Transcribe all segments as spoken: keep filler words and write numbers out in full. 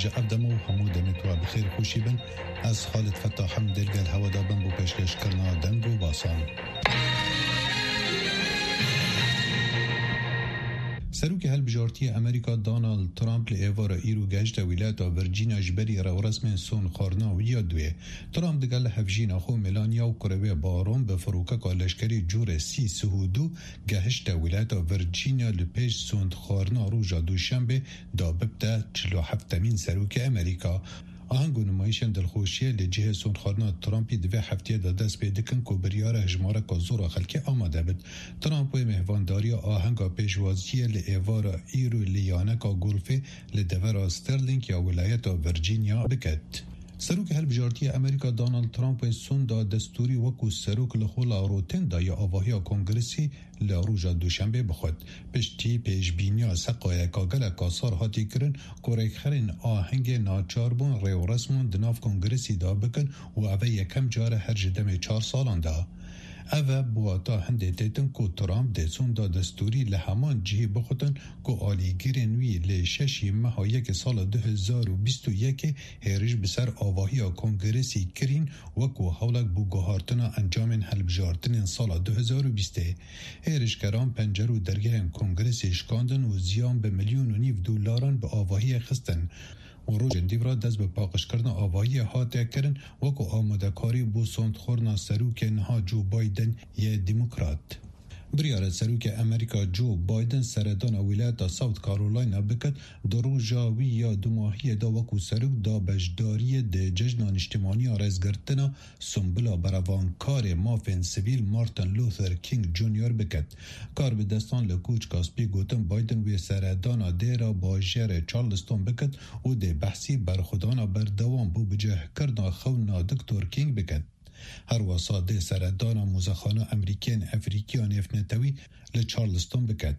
Ji ev demo û hemû demê tu bi xêr xweşî bin. Ez Xalid Fetah im, dê li gel hewa de bim bo pêşkêşkirina deng û basan. Serokê Hilbijartiyê Amerîka Donald Trump li êvara îro gehişte wîlayeta Virginia ji berî rêwresmên sonxwarina wî ya duê. Trump digel hevjîna xwe Melania û kurê wê Baron bi firokeka leşkerî cûrê C sî û du gehişte wîlayeta Virginia li pêş sonxwarina roja Duşenbê da bibte çil û heftemîn serokê Amerîka. Aheng û nimayîşên dilxweşiyê li cihê sonxwarina Trumpî di vê heftiyê de dest pê dikin ku biryare hejmareka zor a xelkê amade bit. Trump wê mêhvandariya ahenga pêşwaziyê li êvara îro li yaneka golfê li devera Sterling ya wilayeta Virginia biket. Serokê Hilbijartiyê Amerîka Donald Trump wê sonda destûrî wekû serok li xwe la rotên daye avahiya kongresî li roja Duşenbê bixwet. Piştî pêşbîniya seqayeka geleka sar hatî kirin ku rêkxerên ahengê naçar bûn rêwresman di nav kongresî de bikin û ev e yekem car e her ji demê çar salan de. Ev e bi wata hindê têtin ku Trump dê sonda destûrî li heman cihî bixutin ku alîgirên wî lê şeşî meha yekê sala du hezar û bîst û yekê hêriş bi ser avahiya kongresî kirîn wekû hewlek bo guhartina encamên hilbijartinên sala du hezar û bîstê. Hêrişkeran pencer û dergehên kongresê şikandin û ziyan bi milyon û nîv dolaran bi avahiyê xistin. Û rojên dîv re dest bi paqijkirina avahiyê hate kirin, wekû amadekarî bo sondxwarina serokê niha Joe Biden yê Demokrat. Biryara serokê Amerîka Joe Biden seredana wîlayeta South Carolina biket, di roja wî ya dumahiyê de wekû serok da beşdariyê di cejna niştimanî ya rêzgirtina Simbila berevankarê mafên sivîl Martin Luther King Junior biket. Karbidestan li kûçka spî gotin Biden wê seredana dêra bajêrê Charleston biket û dê behsî berxwedana berdewam bo bicihkirina xewna Doktor King biket. Her wesa dê seredana muzexana Emerîkiyên Efrîkiya nêvnetewî li Charleston biket.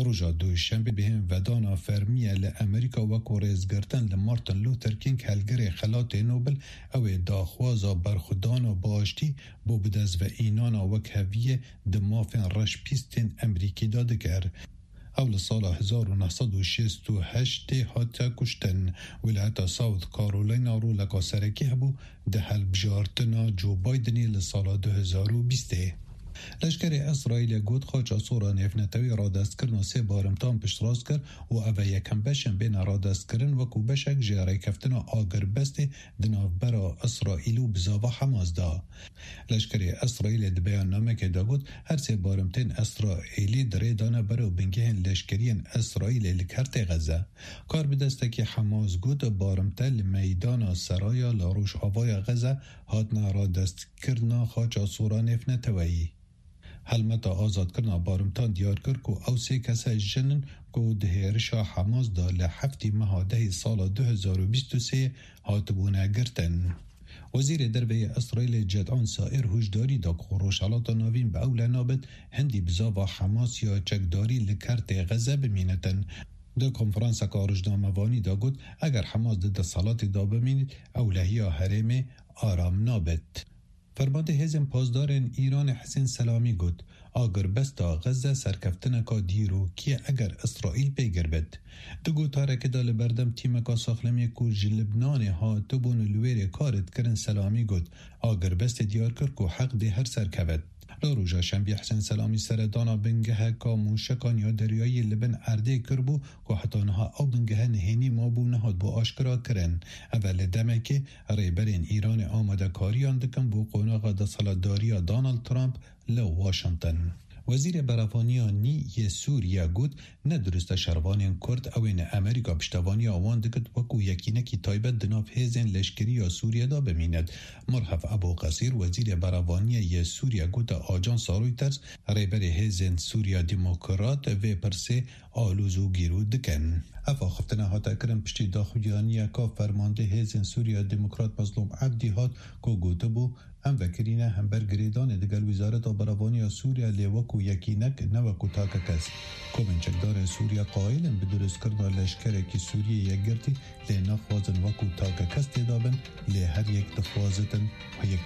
Roja Duşenbê bêhên vedana fermî ye li Amerîka wekû rêzgirtin li Martin Luther King helgirê Xelatê Nobel, ew ê daxwaza berxwedana bi aştî bo bidestveînana wekheviyê di mafên reşpîstên Emerîkî de dikir. Ew li sala hezar û neh sed û şêst û heştê hate kuştin. Wîlayeta South Carolina roleka serekî hebû di hilbijartina Joe Bidenê li sala du hezar û bîstê. Leşkerê Îsraîlê got, xaça sor a nêvnetewî radestkirina sê barimtan piştrast kir û ev e yekem beş in bêne radestkirin wekû beşek ji rêkeftina agirbestê di navbera Îsraîl û bizava Hamas de. Leşkerê Îsraîlê di beyannamekê de got, her sê barimtên Îsraîlî di rê de ne berew bingehên leşkeriyên Îsraîlê li kertê Xeze. Karbidestekî Hamas got, barimte li meydana Seraya li rojavaya Xeze hatine radestkirina xaça sora nêvneteweyî. Helmeta azadkirina barimtan diyar kir ku ew sê kese jin in ku di hêrişa Hamas de li heftê meha dehê sala du hezar û bîst û sê hatibûne girtin. Wezîrê Derve yê Îsraîlê Ced'an Sair huşdarî da ku Rojhelata Navîn bi ewle nabit hindî bizava Hamas ya çekdarî li kertê Xeze bimînitin. Di konferanseka rojnamevanî de got, eger Hamas di desthilatê de bimînit, ewlehiya herêmê aram nabit. Fermandê Hêzên Pasdarên Îranê Hisên Selamî got, agirbesta Xeze serkeftineka dîrokî ye eger Îsraîl pêgir bit. Di gotarekê de li berdem tîmeka saxlemiyê ku ji Libnanê hatibûn û li wê rê kar dikirin Selamî got, agirbestê diyar kir ku heq dê her serkevit. Li roja Şembiyê Hisên Selamî seredana bingeheka mûşekan ya deryayî li bin erdê kiribû ku heta niha ew bingehe nihênî mabû nehatbû aşkera kirin. Ev e li demekê Rêberên Îranê amadekariyan dikin bo qonaxa desthilatdariya Donald Trump li Washington. Wezîrê Berevaniya nî yê Sûriye got, ne dirust e şervanên Kurd, ew ê ne Amerîka piştevaniya wan dikit, wekû yekînekî taybet di nav hêzên leşkerî ya Sûriye de bimînit. Mirhef Ebû Qesîr, Wezîrê Berevaniyê yê Sûriye gote Ajansa Reuters, rêberê hêzên Sûriya Demokrat vê pirsê alozogîrû dikin. Ev axiftina hate kirin piştî daxuyaniyeka fermandê hêzên Sûriya Demokrat Mezlûm Ebdî hat ku gotibû, em vekirîne hember girêdanê digel Wezareta Berevaniya Sûriye lê wekû yekînek ne wekû takekes. Komên çekdarên Sûriye qayîl in bi dirustkirina leşkerekî Sûriyê yekgirtî lê naxwazin wekû takekes tê dabin, lê her yek dixwazitin yekî